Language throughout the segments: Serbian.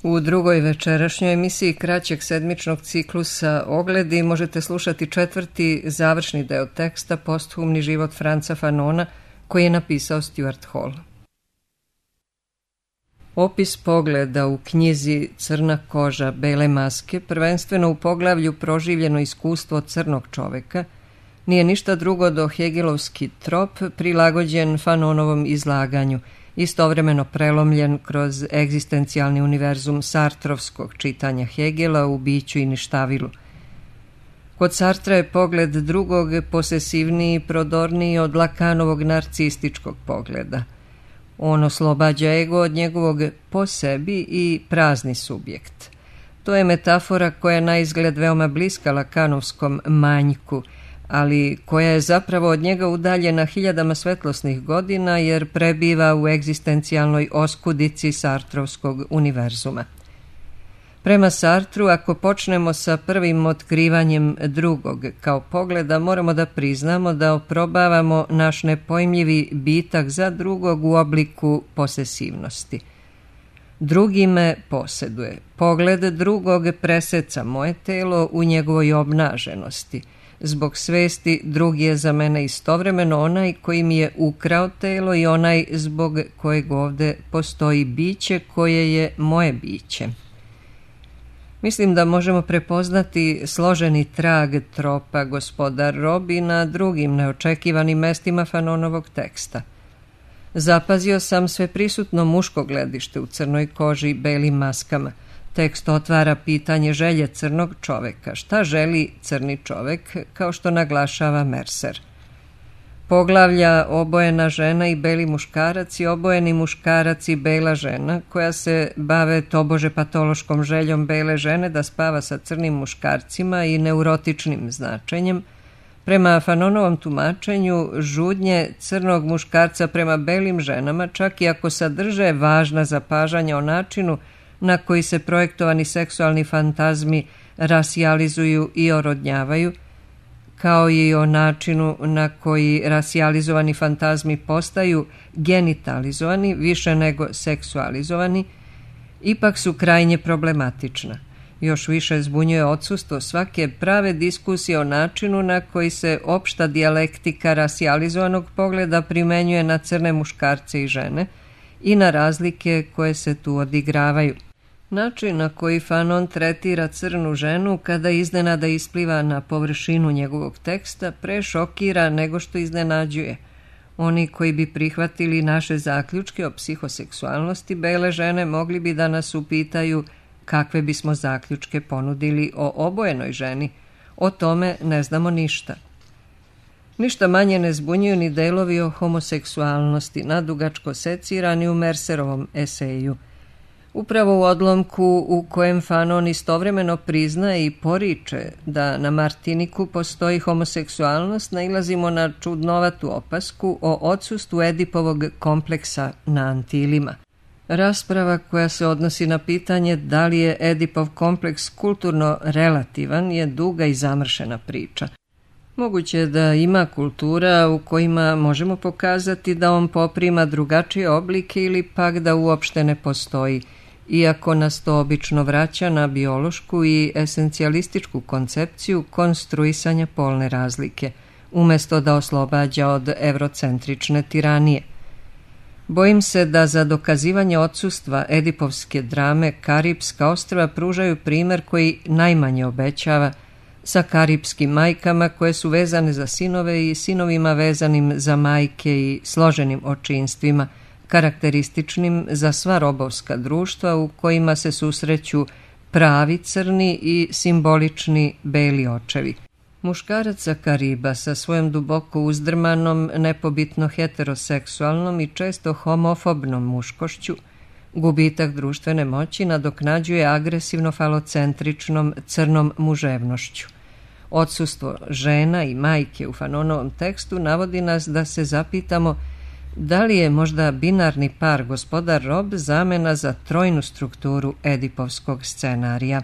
U drugoj večerašnjoj emisiji kraćeg sedmičnog ciklusa Ogledi možete slušati četvrti završni deo teksta Posthumni život Franca Fanona koji je napisao Stuart Hall. Opis pogleda u knjizi Crna koža, bele maske, prvenstveno u poglavlju Proživljeno iskustvo crnog čoveka, nije ništa drugo do hegelovski trop prilagođen Fanonovom izlaganju, istovremeno prelomljen kroz egzistencijalni univerzum sartrovskog čitanja Hegela u Biću i ništavilu. Kod Sartra je pogled drugog posesivniji i prodorniji od Lakanovog narcističkog pogleda. On oslobađa ego od njegovog po sebi i prazni subjekt. To je metafora koja je na izgled veoma bliska Lakanovskom manjku, ali koja je zapravo od njega udaljena hiljadama svetlosnih godina jer prebiva u egzistencijalnoj oskudici sartrovskog univerzuma. Prema Sartru, ako počnemo sa prvim otkrivanjem drugog kao pogleda, moramo da priznamo da oprobavamo naš nepojmljivi bitak za drugog u obliku posesivnosti. Drugi me poseduje. Pogled drugog preseca moje telo u njegovoj obnaženosti. Zbog svesti drugi je za mene istovremeno onaj koji mi je ukrao telo i onaj zbog kojeg ovde postoji biće koje je moje biće. Mislim da možemo prepoznati složeni trag tropa Gospodar Rob i na drugim neočekivanim mestima Fanonovog teksta. Zapazio sam sve prisutno muško gledište u crnoj koži i belim maskama. Tekst otvara pitanje želje crnog čoveka. Šta želi crni čovek, kao što naglašava Mercer? Poglavlja obojena žena i beli muškarac i obojeni muškarac i bela žena, koja se bave tobože patološkom željom bele žene da spava sa crnim muškarcima i neurotičnim značenjem, prema Fanonovom tumačenju žudnje crnog muškarca prema belim ženama, čak i ako sadrže važna zapažanja o načinu na koji se projektovani seksualni fantazmi rasijalizuju i orodnjavaju, kao i o načinu na koji rasijalizovani fantazmi postaju genitalizovani više nego seksualizovani, ipak su krajnje problematična. Još više zbunjuje odsustvo svake prave diskusije o načinu na koji se opšta dijalektika rasijalizovanog pogleda primenjuje na crne muškarce i žene i na razlike koje se tu odigravaju. Način na koji Fanon tretira crnu ženu kada iznenada ispliva na površinu njegovog teksta pre šokira nego što iznenađuje. Oni koji bi prihvatili naše zaključke o psihoseksualnosti bele žene mogli bi da nas upitaju kakve bismo zaključke ponudili o obojenoj ženi. O tome ne znamo ništa. Ništa manje ne zbunjuju ni delovi o homoseksualnosti, nadugačko secirani u Mercerovom eseju. Upravo u odlomku u kojem Fanon istovremeno priznaje i poriče da na Martiniku postoji homoseksualnost, nailazimo na čudnovatu opasku o odsustvu Edipovog kompleksa na Antilima. Rasprava koja se odnosi na pitanje da li je Edipov kompleks kulturno relativan je duga i zamršena priča. Moguće je da ima kultura u kojima možemo pokazati da on poprima drugačije oblike ili pak da uopšte ne postoji, iako nas to obično vraća na biološku i esencijalističku koncepciju konstruisanja polne razlike, umesto da oslobađa od evrocentrične tiranije. Bojim se da za dokazivanje odsustva edipovske drame Karipska ostrva pružaju primer koji najmanje obećava, sa karipskim majkama koje su vezane za sinove i sinovima vezanim za majke i složenim očinstvima, karakterističnim za sva robovska društva u kojima se susreću pravi crni i simbolični beli očevi. Muškarac sa Kariba sa svojom duboko uzdrmanom, nepobitno heteroseksualnom i često homofobnom muškošću, gubitak društvene moći nadoknađuje agresivno falocentričnom crnom muževnošću. Odsustvo žena i majke u Fanonovom tekstu navodi nas da se zapitamo da li je možda binarni par Gospodar Rob zamena za trojnu strukturu edipovskog scenarija.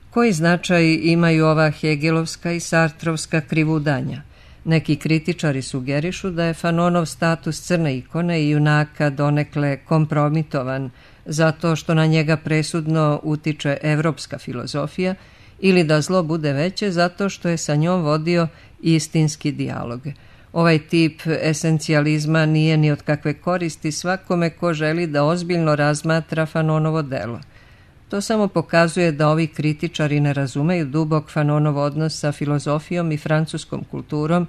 Koji značaj imaju ova hegelovska i sartrovska krivudanja? Neki kritičari sugerišu da je Fanonov status crne ikone i junaka donekle kompromitovan zato što na njega presudno utiče evropska filozofija, ili da zlo bude veće zato što je sa njom vodio istinski dijalog. Ovaj tip esencijalizma nije ni od kakve koristi svakome ko želi da ozbiljno razmatra Fanonovo delo. To samo pokazuje da ovi kritičari ne razumeju dubok Fanonov odnos sa filozofijom i francuskom kulturom,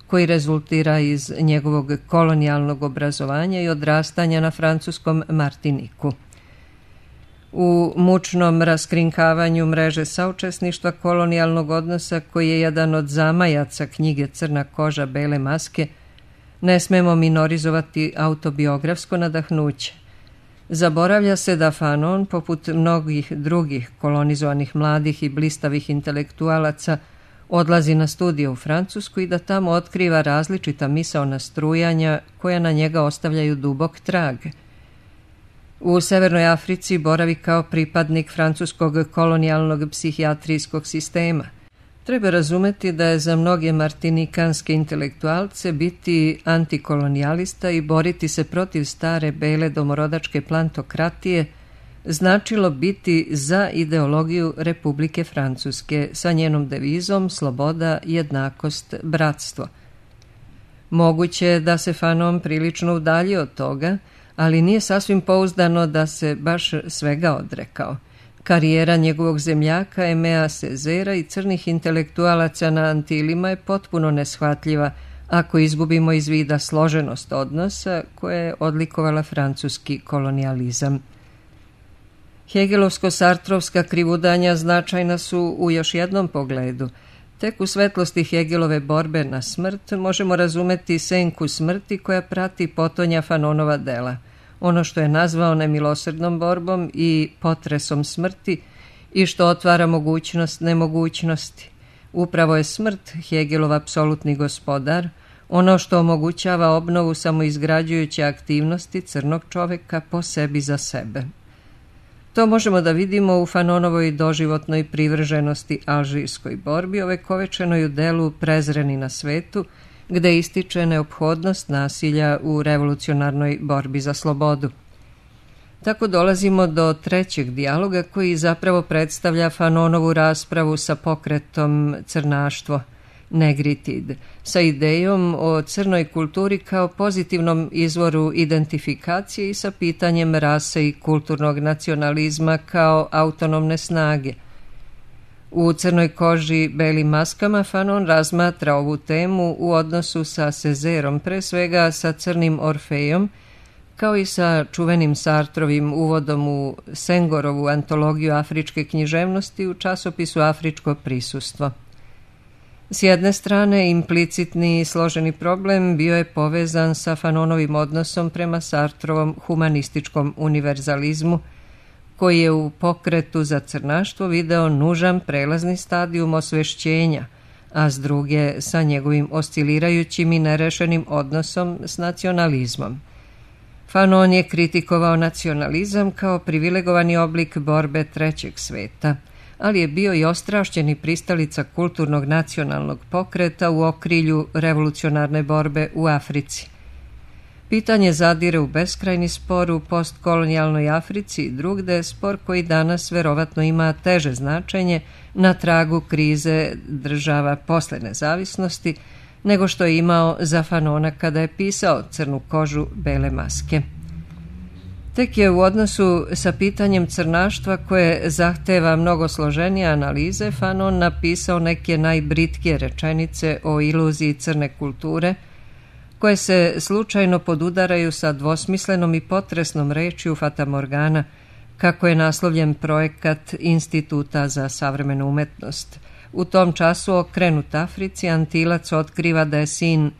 koji rezultira iz njegovog kolonijalnog obrazovanja i odrastanja na francuskom Martiniku. U mučnom raskrinkavanju mreže saučesništva kolonijalnog odnosa, koji je jedan od zamajaca knjige Crna koža, bele maske, ne smemo minorizovati autobiografsko nadahnuće. Zaboravlja se da Fanon, poput mnogih drugih kolonizovanih mladih i blistavih intelektualaca, odlazi na studije u Francusku i da tamo otkriva različita misaona strujanja koja na njega ostavljaju dubok trag. U Severnoj Africi boravi kao pripadnik francuskog kolonijalnog psihijatrijskog sistema. Treba razumeti da je za mnoge martinikanske intelektualce biti antikolonijalista i boriti se protiv stare bele domorodačke plantokratije značilo biti za ideologiju Republike Francuske sa njenom devizom sloboda, jednakost, bratstvo. Moguće je da se Fanon prilično udaljio od toga, ali nije sasvim pouzdano da se baš svega odrekao. Karijera njegovog zemljaka Aimea Césaira i crnih intelektualaca na Antilima je potpuno neshvatljiva ako izgubimo iz vida složenost odnosa koja je odlikovala francuski kolonijalizam. Hegelovsko-sartrovska krivudanja značajna su u još jednom pogledu. Tek u svetlosti Hegelove borbe na smrt možemo razumeti senku smrti koja prati potonja Fanonova dela. Ono što je nazvao nemilosrdnom borbom i potresom smrti i što otvara mogućnost nemogućnosti. Upravo je smrt Hegelov apsolutni gospodar, ono što omogućava obnovu samoizgrađujuće aktivnosti crnog čoveka po sebi za sebe. To možemo da vidimo u Fanonovoj doživotnoj privrženosti alžirskoj borbi, ovekovečenoj u delu Prezreni na svetu, gde ističe neophodnost nasilja u revolucionarnoj borbi za slobodu. Tako dolazimo do trećeg dijaloga koji zapravo predstavlja Fanonovu raspravu sa pokretom crnaštvo, negritid, sa idejom o crnoj kulturi kao pozitivnom izvoru identifikacije i sa pitanjem rase i kulturnog nacionalizma kao autonomne snage. U Crnoj koži, belim maskama Fanon razmatra ovu temu u odnosu sa Césairom, pre svega sa Crnim Orfejom, kao i sa čuvenim Sartrovim uvodom u Sengorovu antologiju afričke književnosti u časopisu Afričko prisustvo. S jedne strane, implicitni i složeni problem bio je povezan sa Fanonovim odnosom prema Sartrovom humanističkom univerzalizmu, koji je u pokretu za crnaštvo video nužan prelazni stadijum osvešćenja, a s druge sa njegovim oscilirajućim i nerešenim odnosom s nacionalizmom. Fanon je kritikovao nacionalizam kao privilegovani oblik borbe trećeg sveta, ali je bio i ostrašćeni pristalica kulturnog nacionalnog pokreta u okrilju revolucionarne borbe u Africi. Pitanje zadire u beskrajni spor u postkolonijalnoj Africi i drugde, spor koji danas verovatno ima teže značenje na tragu krize država posle nezavisnosti, nego što je imao za Fanona kada je pisao Crnu kožu, bele maske. Tek je u odnosu sa pitanjem crnaštva koje zahteva mnogo složenije analize Fanon napisao neke najbritkije rečenice o iluziji crne kulture, koje se slučajno podudaraju sa dvosmislenom i potresnom rečju fatamorgana, kako je naslovljen projekat Instituta za savremenu umetnost. U tom času okrenut Africi, Antilac otkriva da je sin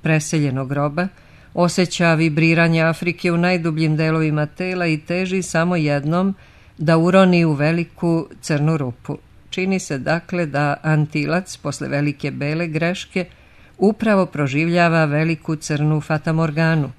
preseljenog roba, osjeća vibriranje Afrike u najdubljim delovima tela i teži samo jednom da uroni u veliku crnu rupu. Čini se dakle da Antilac posle velike bele greške upravo proživljava veliku crnu fatamorganu.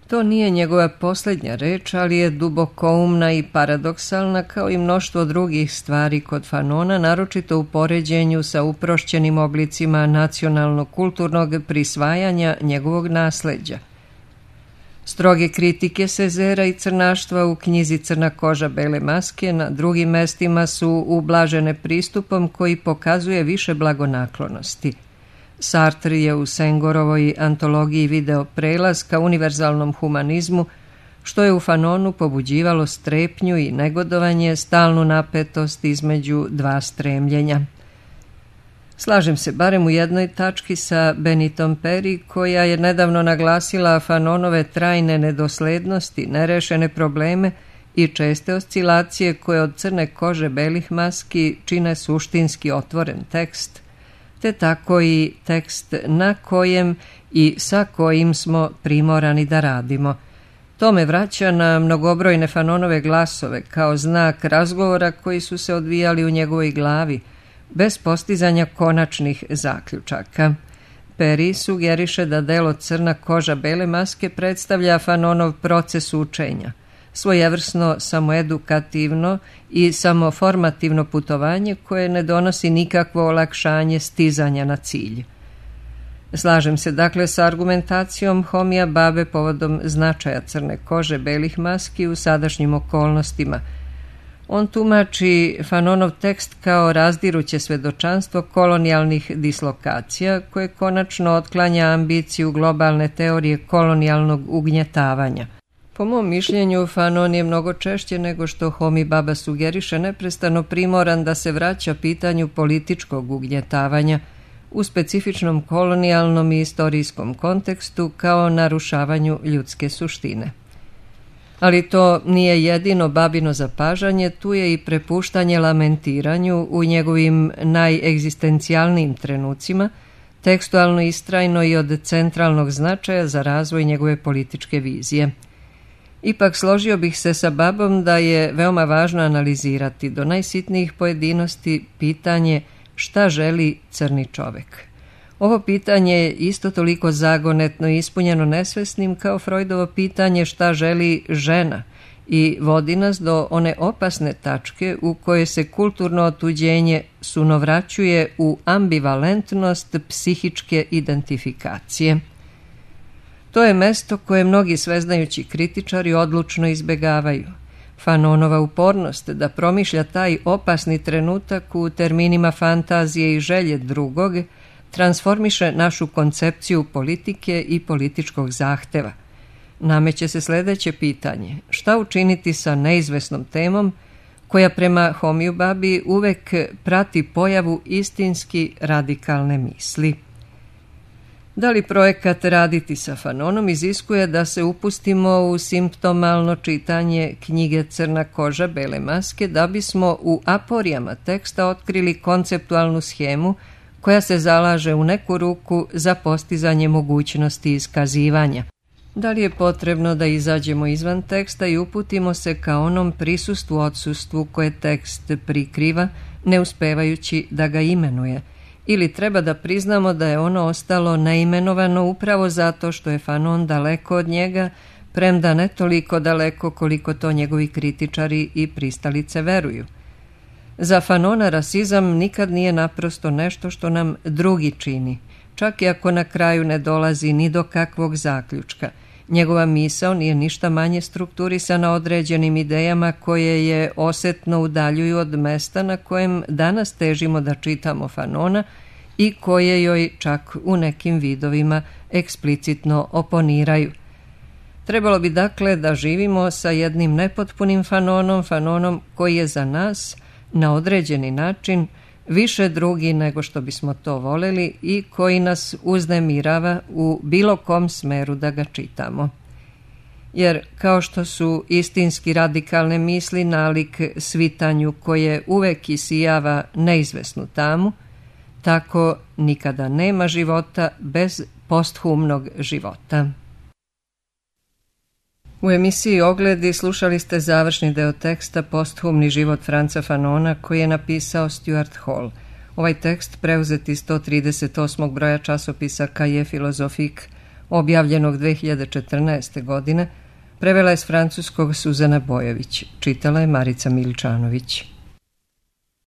To nije njegova posljednja reč, ali je dubokoumna i paradoksalna kao i mnoštvo drugih stvari kod Fanona, naročito u poređenju sa uprošćenim oblicima nacionalno-kulturnog prisvajanja njegovog nasleđa. Stroge kritike Sezera i crnaštva u knjizi Crna koža, bele maske na drugim mestima su ublažene pristupom koji pokazuje više blagonaklonosti. Sartre je u Sengorovoj antologiji video prelaz ka univerzalnom humanizmu, što je u Fanonu pobuđivalo strepnju i negodovanje, stalnu napetost između dva stremljenja. Slažem se barem u jednoj tački sa Benitom Peri, koja je nedavno naglasila Fanonove trajne nedoslednosti, nerešene probleme i česte oscilacije koje od Crne kože, belih maski čine suštinski otvoren tekst, te tako i tekst na kojem i sa kojim smo primorani da radimo. To me vraća na mnogobrojne Fanonove glasove kao znak razgovora koji su se odvijali u njegovoj glavi, bez postizanja konačnih zaključaka. Peri sugeriše da delo Crna koža, bele maske predstavlja Fanonov proces učenja, svojevrsno samoedukativno i samoformativno putovanje koje ne donosi nikakvo olakšanje stizanja na cilj. Slažem se dakle sa argumentacijom Homija Babe povodom značaja Crne kože, belih maski u sadašnjim okolnostima. On tumači Fanonov tekst kao razdiruće svedočanstvo kolonijalnih dislokacija koje konačno otklanja ambiciju globalne teorije kolonijalnog ugnjetavanja. Po mom mišljenju, Fanon je mnogo češće nego što Homi Baba sugeriše neprestano primoran da se vraća pitanju političkog ugnjetavanja u specifičnom kolonijalnom i istorijskom kontekstu kao narušavanju ljudske suštine. Ali to nije jedino babino zapažanje, tu je i prepuštanje lamentiranju u njegovim najegzistencijalnijim trenucima, tekstualno istrajno i od centralnog značaja za razvoj njegove političke vizije. Ipak složio bih se sa Babom da je veoma važno analizirati do najsitnijih pojedinosti pitanje šta želi crni čovek. Ovo pitanje je isto toliko zagonetno i ispunjeno nesvesnim kao Freudovo pitanje šta želi žena i vodi nas do one opasne tačke u kojoj se kulturno otuđenje sunovraćuje u ambivalentnost psihičke identifikacije. To je mesto koje mnogi sveznajući kritičari odlučno izbegavaju. Fanonova upornost da promišlja taj opasni trenutak u terminima fantazije i želje drugog transformiše našu koncepciju politike i političkog zahteva. Nameće se sledeće pitanje: šta učiniti sa neizvesnom temom koja prema Homiju Babi uvek prati pojavu istinski radikalne misli? Da li projekat raditi sa Fanonom iziskuje da se upustimo u simptomalno čitanje knjige Crna koža, bele maske da bismo u aporijama teksta otkrili konceptualnu schemu koja se zalaže u neku ruku za postizanje mogućnosti iskazivanja? Da li je potrebno da izađemo izvan teksta i uputimo se ka onom prisustvu odsustvu koje tekst prikriva, ne uspevajući da ga imenuje? Ili treba da priznamo da je ono ostalo neimenovano upravo zato što je Fanon daleko od njega, premda ne toliko daleko koliko to njegovi kritičari i pristalice veruju? Za Fanona rasizam nikad nije naprosto nešto što nam drugi čini, čak i ako na kraju ne dolazi ni do kakvog zaključka. Njegova misao nije ništa manje strukturisana određenim idejama koje je osetno udaljuju od mesta na kojem danas težimo da čitamo Fanona i koje joj čak u nekim vidovima eksplicitno oponiraju. Trebalo bi dakle da živimo sa jednim nepotpunim Fanonom koji je za nas na određeni način više drugi nego što bismo to voleli i koji nas uznemirava u bilo kom smeru da ga čitamo. Jer kao što su istinski radikalne misli nalik svitanju koje uvek isijava neizvesnu tamu, tako nikada nema života bez posthumnog života. U emisiji Ogledi slušali ste završni deo teksta Posthumni život Franca Fanona koji je napisao Stuart Hall. Ovaj tekst preuzet iz 138. broja časopisa Cahiers Philosophiques, objavljenog 2014. godine, prevela je s francuskog Suzana Bojović, čitala je Marica Miličanović.